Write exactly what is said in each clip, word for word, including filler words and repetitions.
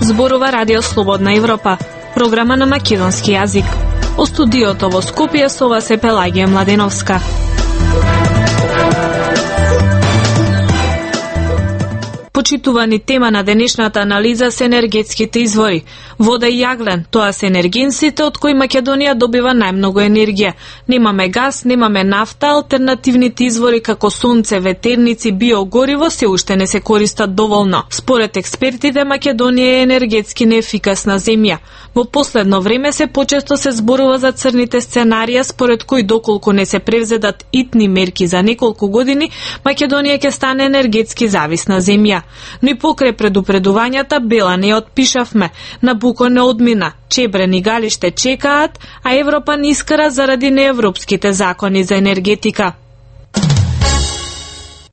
Зборува Радио Слободна Европа, програма на македонски јазик. О студиото во Скопје со вас е Пелагија Младеновска. Почитувани тема на денешната анализа се енергетските извори. Вода и јаглен, тоа се енергенсите од кои Македонија добива најмногу енергија. Немаме газ, немаме нафта, алтернативните извори како сонце, ветерници, биогориво се уште не се користат доволно. Според експертите, Македонија е енергетски неефикасна земја. Во последно време се почесто се зборува за црните сценарија според кои доколку не се превзедат итни мерки за неколку години, Македонија ќе стане енергетски зависна земја. Но и покрај предупредувањата бела не отпишавме. Набуко не одмина, Чебрен и Галиште чекаат, а Европа не искара заради неевропските закони за енергетика.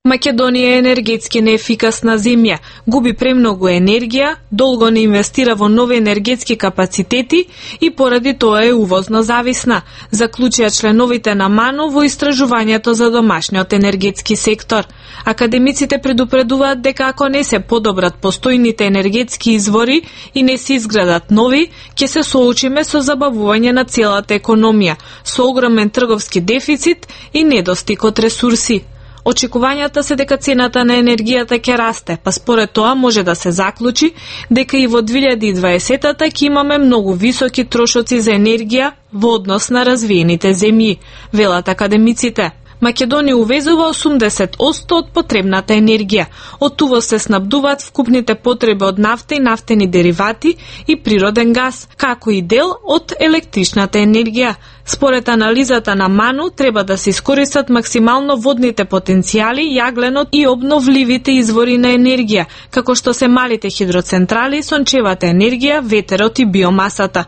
Македонија е енергетски неефикасна земја, губи премногу енергија, долго не инвестира во нови енергетски капацитети и поради тоа е увозно зависна, заклучија членовите на МАНО во истражувањето за домашниот енергетски сектор. Академиците предупредуваат дека ако не се подобрат постојните енергетски извори и не се изградат нови, ќе се соочиме со забавување на целата економија, со огромен трговски дефицит и недостиг од ресурси. Очекувањата се дека цената на енергијата ќе расте, па според тоа може да се заклучи дека и во две илјади и дваесетата ќе имаме многу високи трошоци за енергија во однос на развиените земји, велат академиците. Македонија увезува осумдесет одсто од потребната енергија. Од увоз се снабдуваат вкупните потреби од нафта и нафтени деривати и природен газ, како и дел од електричната енергија. Според анализата на МАНО, треба да се искористат максимално водните потенцијали, јагленот и обновливите извори на енергија, како што се малите хидроцентрали, сончевата енергија, ветерот и биомасата.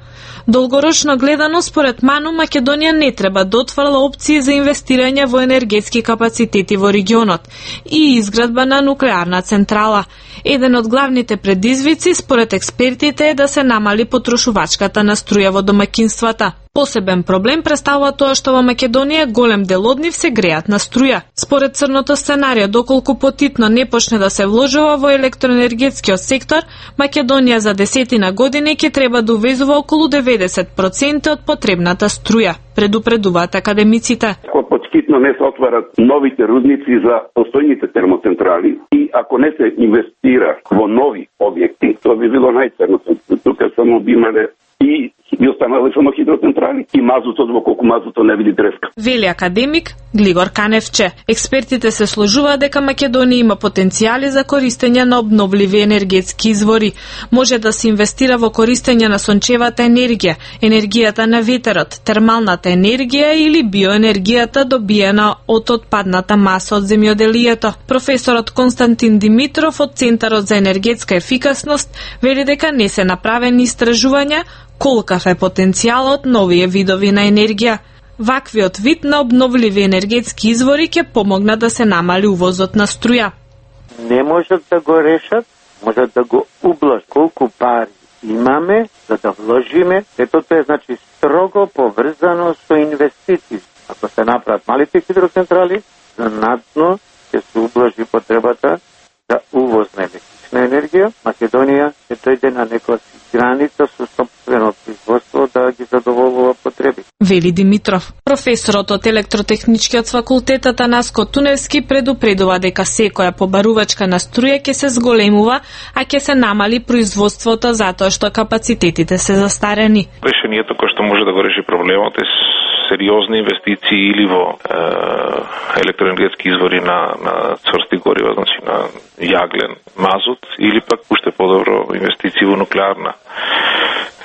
Долгорочно гледано, според МАНО, Македонија не треба да отфрла опции за инвестирање во енергетски капацитети во регионот и изградба на нуклеарна централа. Еден од главните предизвици, според експертите, е да се намали потрошувачката на струја во домаќинствата. Посебен проблем представува тоа што во Македонија голем дел од нив се греат на струја. Според црното сценарио, доколку потитно не почне да се вложува во електроенергетскиот сектор, Македонија за десетина години ќе треба да увезува околу деветдесет проценти од потребната струја, предупредуваат академиците. Ако потхитно не се отварат новите рудници за постојните термоцентрали и ако не се инвестира во нови објекти, тоа би било најценно. Тука само би имале и би останале само хидроцентрали и мазутот во колку мазуто не види треска. Вели академик Глигор Каневче. Експертите се сложуваат дека Македонија има потенцијали за користење на обновливи енергетски извори. Може да се инвестира во користење на сончевата енергија, енергијата на ветерот, термалната енергија или биоенергијата добиена од отпадната маса од земјоделието. Професорот Константин Димитров од Центарот за енергетска ефикасност вели дека не се направени истражувања колкав е потенцијалот на овие видови на енергија. Ваквиот вид на обновливи енергетски извори ќе помогнат да се намали увозот на струја. Не можат да го решат, можат да го ублажат. Колку пари имаме за да вложиме, ето тоа е значи строго поврзано со инвестиции. Ако се направат малите хидроцентрали, знатно ќе се ублажи потребата за увоз на електрична енергија. Македонија ќе дојде на некоја граница со сопствено производство да ги задоволува потреби. Вели Димитров. Професорот од електротехничкиот факултет Атанаско Туневски предупредува дека секоја побарувачка на струја ќе се зголемува, а ќе се намали производството затоа што капацитетите се застарени. Решението кој што може да го реши проблемот е сериозни инвестиции или во е, електроенергетски извори на, на цврсти горива, значи на јаглен, мазут, или пак уште подобро инвестиции во нуклеарна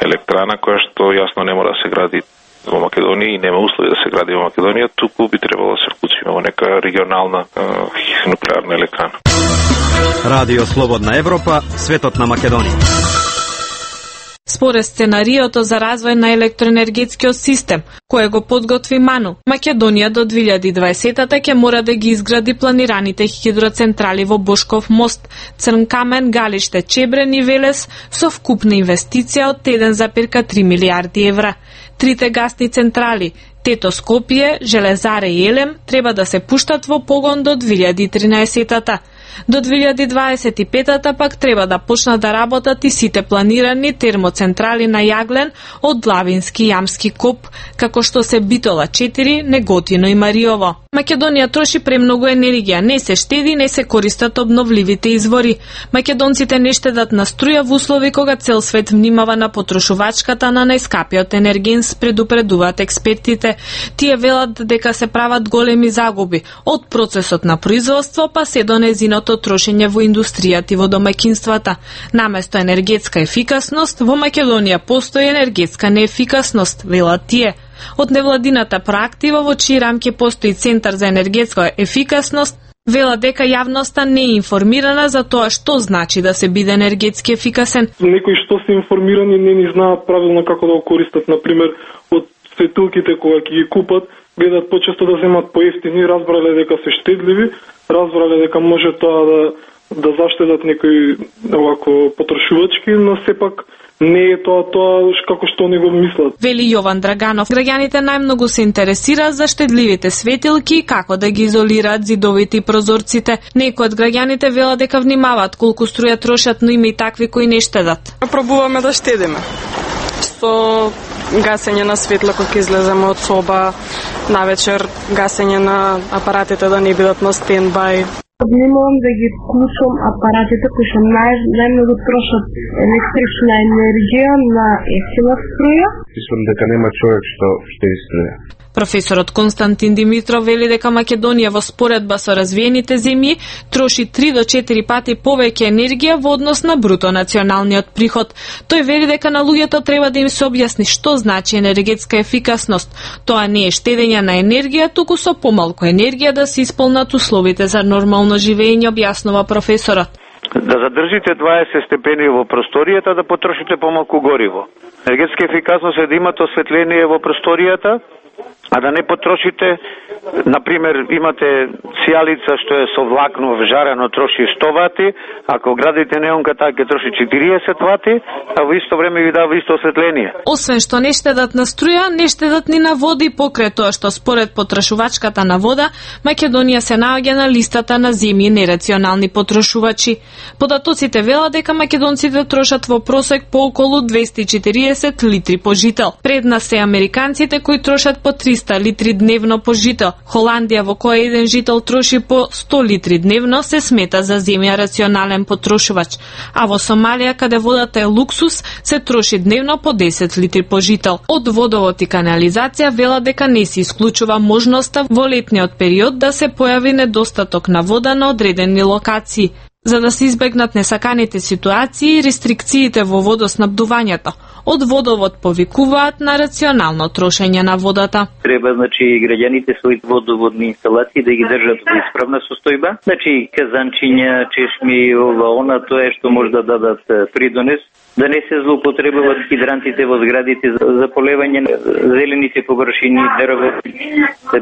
електрана, која што јасно не мора да се гради во Македонија и нема услови да се гради во Македонија, туку би требало да се вклучиме во нека регионална е, нуклеарна електрана. Радио Слободна Европа, светот на Македонија. Според сценариото за развој на електроенергетскиот систем, кој го подготви МАНО, Македонија до две илјади и дваесетата ќе мора да ги изгради планираните хидроцентрали во Бошков мост, Црнкамен, Галиште, Чебрен и Велес со вкупна инвестиција од еден зарез три милијарди евра. Трите гасни централи Тето Скопје, Железаре и Елем треба да се пуштат во погон до две илјади и тринаесетта. До две илјади дваесет и петта пак треба да почнат да работат и сите планирани термоцентрали на јаглен од Лавински и Јамски коп, како што се Битола четири, Неготино и Мариово. Македонија троши премногу енергија, не се штеди, не се користат обновливите извори. Македонците не штедат на струја во услови кога цел свет внимава на потрошувачката на најскапиот енергенс, предупредуваат експертите. Тие велат дека се прават големи загуби од процесот на производство па се до незиното трошење во индустријата и во домаќинствата. Наместо енергетска ефикасност, во Македонија постои енергетска неефикасност, велат тие. Од невладината проактива во чии рамки постои Центар за енергетска ефикасност, вела дека јавноста не е информирана за тоа што значи да се биде енергетски ефикасен. Некои што се информирани не ни знаат правилно како да го користат, например, од светилките кога ќе ги купат, гледат почесто да земат поевтини, разбрале дека се штедливи, разбрале дека може тоа да да заштедат некои овако потрошувачки, но сепак не е тоа тоа како што не го мислат. Вели Јован Драганов, граѓаните најмногу се интересираат за штедливите светилки и како да ги изолираат зидовите и прозорците. Некои од граѓаните велат дека внимаваат колку струја трошат, но има и такви кои не штедат. Пробуваме да штедиме. Со гасење на светло кога излеземе од соба, навечер гасење на апаратите да не бидат на стендбај. Внимавам да ги вклучам апаратите кои што нај, најмногу трошат електрична енергија на ефтина струја. Мислам дека нема човек што штеди струја. Професорот Константин Димитров вели дека Македонија во споредба со развиените земји троши три до четири пати повеќе енергија во однос на бруто националниот приход. Тој вели дека на луѓето треба да им се објасни што значи енергетска ефикасност. Тоа не е штедење на енергија, туку со помалку енергија да се исполнат условите за нормално живење, објаснува професорот. Да задржите дваесет степени во просторијата, да потрошите помалку гориво. Енергетска ефикасност е да имате осветление во просторијата, а да не потрошите, например, имате сијалица што е со влакно вжарено, троши сто вати, ако градите неонка таа ќе троши четириесет вати, а во исто време ви дава исто осветление. Освен што не штедат на струја, не штедат ни на вода и покрај тоа што според потрошувачката на вода, Македонија се наоѓа на листата на земји нерационални потрошувачи. Податоците велат дека македонците трошат во просек по околу двесте и четириесет литри по жител. Пред нас се американците кои трошат по триста литри дневно по жител. Холандија, во која еден жител троши по сто литри дневно, се смета за земја рационален потрошувач. А во Сомалија, каде водата е луксус, се троши дневно по десет литри по жител. Од водовод и канализација вела дека не се исклучува можноста во летниот период да се појави недостаток на вода на одредени локации. За да се избегнат несаканите ситуации и рестрикциите во водоснабдувањето, од водовод повикуваат на рационално трошење на водата. Треба, значи, граѓаните своите водоводни инсталации да ги држат во исправна состојба. Значи, казанчиња, чешми, ова, она, тоа што може да дадат придонес, да не се злоупотребуваат хидрантите во зградите за полевање на зелените површини, дрво,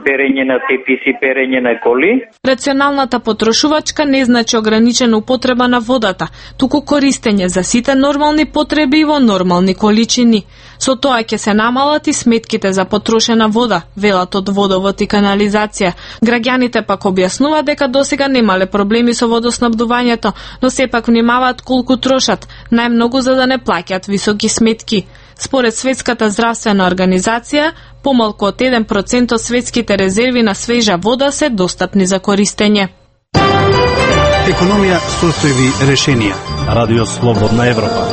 перење на теписи, перење на коли. Рационалната потрошувачка не значи ограничена употреба на водата, туку користење за сите нормални потреби и во нормални количини. Со тоа ќе се намалат и сметките за потрошена вода, велат од водовод и канализација. Граѓаните пак објаснуваат дека досега немале проблеми со водоснабдувањето, но сепак внимаваат колку трошат, најмногу за да не плаќаат високи сметки. Според Светската здравствена организација, помалку од еден процент од светските резерви на свежа вода се достапни за користење. Економија, состојби, решенија. Радио Слободна Европа.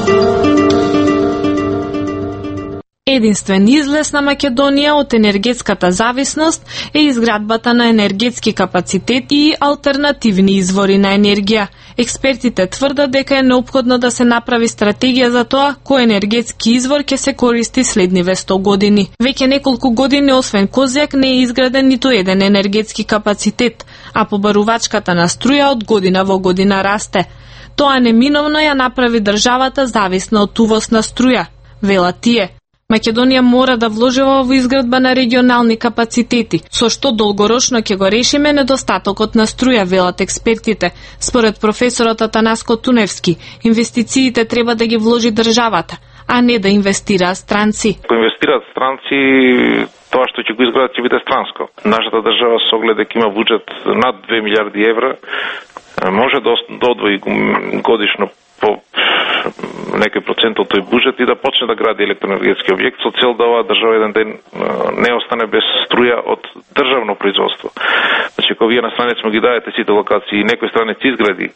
Единствен излез на Македонија од енергетската зависност е изградбата на енергетски капацитети и алтернативни извори на енергија. Експертите тврдат дека е неопходно да се направи стратегија за тоа кој енергетски извор ќе се користи следниве сто години. Веќе неколку години освен Козјак не е изграден ниту еден енергетски капацитет, а побарувачката на струја од година во година расте. Тоа неминовно ја направи државата зависна од увоз на струја, велат тие. Македонија мора да вложува во изградба на регионални капацитети, со што долгорочно ќе го решиме недостатокот на струја, велат експертите. Според професорот Атанаско Туневски, инвестициите треба да ги вложи државата, а не да инвестираат странци. Ако инвестираат странци, тоа што ќе го изградат ќе биде странско. Нашата држава со оглед дека има буџет над две милиарди евра, може да одвои годишно по некој процент од тој буџет и да почне да гради електроенергетски објект со цел да оваа држава еден ден не остане без струја од државно производство. Значи, ако вие на страница му ги дадете сите локации и некој странец изгради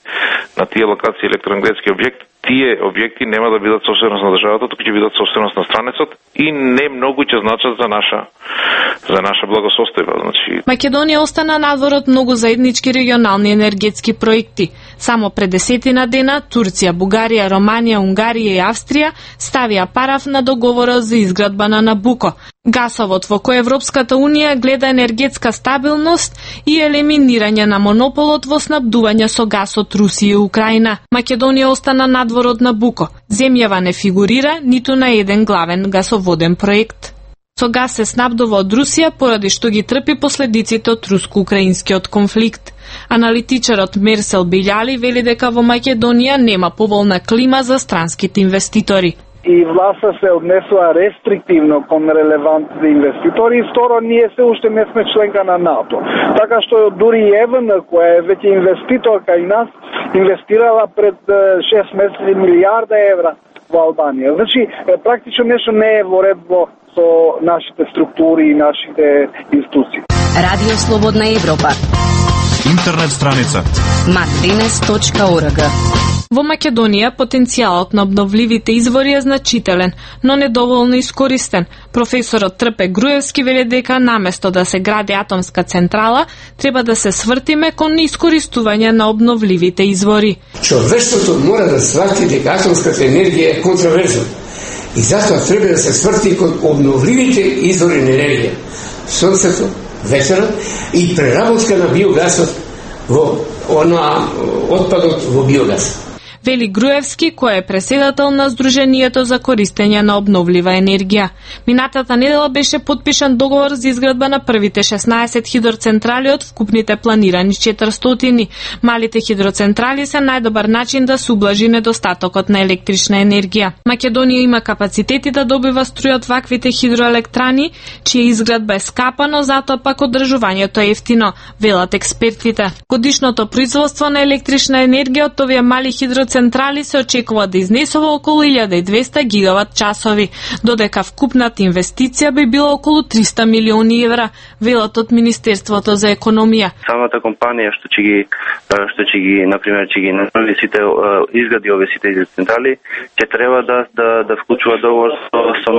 на тие локации електроенергетски објект, тие објекти нема да бидат собственост на државата, туку ќе бидат собственост на странецот и не многу ќе значат за наша за наша благосостојба. Значи, Македонија остана надвор од многу заеднички регионални енергетски проекти. Само пред десетина дена Турција, Бугарија, Романија, Унгарија и Австрија ставија параф на договорот за изградба на Набуко, гасовод во кој Европската унија гледа енергетска стабилност и елиминирање на монополот во снабдување со гас од Русија и Украина. Македонија остана надвор од Набуко. Земјава не фигурира ниту на еден главен гасоводен проект. Со газ се снабдува од Русија поради што ги трпи последиците од руско-украинскиот конфликт. Аналитичарот Мерсел Билјали вели дека во Македонија нема поволна клима за странските инвеститори. И власта се однесува рестриктивно кон релевантни инвеститори и второ, ние се уште не сме членка на НАТО. Така што дури и ЕВН, која е веќе инвеститорка и нас, инвестирала пред шест месеци милијарда евра во Албанија. Значи, практично нешто не е во ред во со нашите структури и нашите институции. Радио Слободна Европа. Интернет страница матринес точка орг. Во Македонија потенцијалот на обновливите извори е значителен, но недоволно искористен. Професорот Трпе Груевски вели дека наместо да се гради атомска централа, треба да се свртиме кон искористување на обновливите извори. Човештвото мора да свати дека атомската енергија е контроверзна. И затоа треба да се сврти кон обновливите извори на енергија. Сонцето, ветерот и преработка на биогасот во она отпадот во биогас. Вели Груевски, кој е преседател на Сдруженијето за користење на обновлива енергија. Минатата недела беше подпишан договор за изградба на првите шеснаесет хидроцентрали од вкупните планирани четиристотини. Малите хидроцентрали се најдобар начин да се ублажи недостатокот на електрична енергија. Македонија има капацитети да добива струја од ваквите хидроелектрани, чија изградба е скапа, но затоа пак одржувањето е ефтино, велат експертите. Годишното производство на електрична енергија од овие мали хидроцентрали централи се очекува да изнесува околу илјада и двесте гигават часови, додека вкупната инвестиција би била околу триста милиони евра, велат од Министерството за економија. Самата компанија што ќе ги што ќе ги на пример ќе ги направи сите изгради овие сите централи, ќе треба да да да вклучува договор со со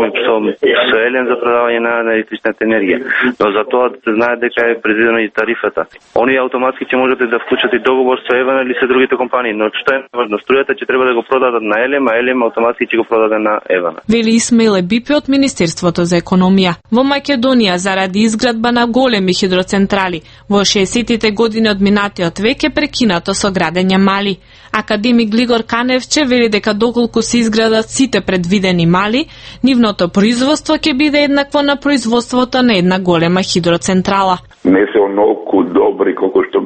со Елем за продавање на електричната енергија. Но за тоа да се знае дека е предвидено и тарифата. Оние автоматски ќе можете да вклучат и договор со Евен или со другите компании, но што е важно, струјата ќе треба да го продадат на Елем, а Елем автоматски ќе го продаде на Евен. Вели Исмаил Ебипи од Министерството за економија. Во Македонија заради изградба на големи хидроцентрали во шеесеттите години од минатиот век е прекинато со градење мали. Академик Глигор Каневче вели дека доколку се изградат сите предвидени мали, нивното производство ќе биде еднакво на производството на една голема хидроцентрала. Не се онолку добри колку што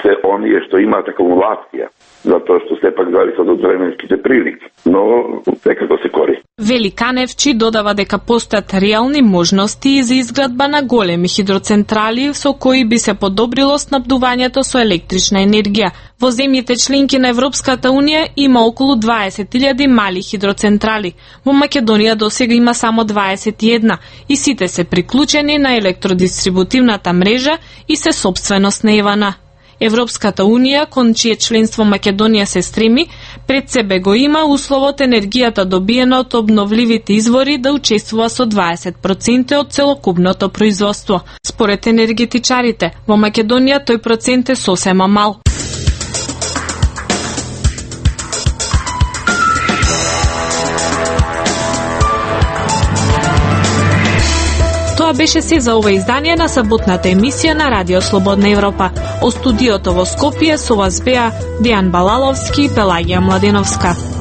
се оние што имаат акумулација, затоа што сепак зависат од временските прилики, но секако се користи. Вели Каневчи додава дека постојат реални можности за изградба на големи хидроцентрали со кои би се подобрило снабдувањето со електрична енергија. Во земјите членки на Европската унија има околу дваесет илјади мали хидроцентрали. Во Македонија досега има само дваесет и една и сите се приклучени на електродистрибутивната мрежа и се сопственост на Евана. Европската унија, кон чие членство Македонија се стреми, пред себе го има условот енергијата добиена од обновливите извори да учествува со дваесет проценти од целокупното производство. Според енергетичарите, во Македонија тој процент е сосема мал. Тоа беше се за ова издание на саботната емисија на Радио Слободна Европа. Од студиото во Скопје со вас беа Дејан Балаловски и Пелагија Младеновска.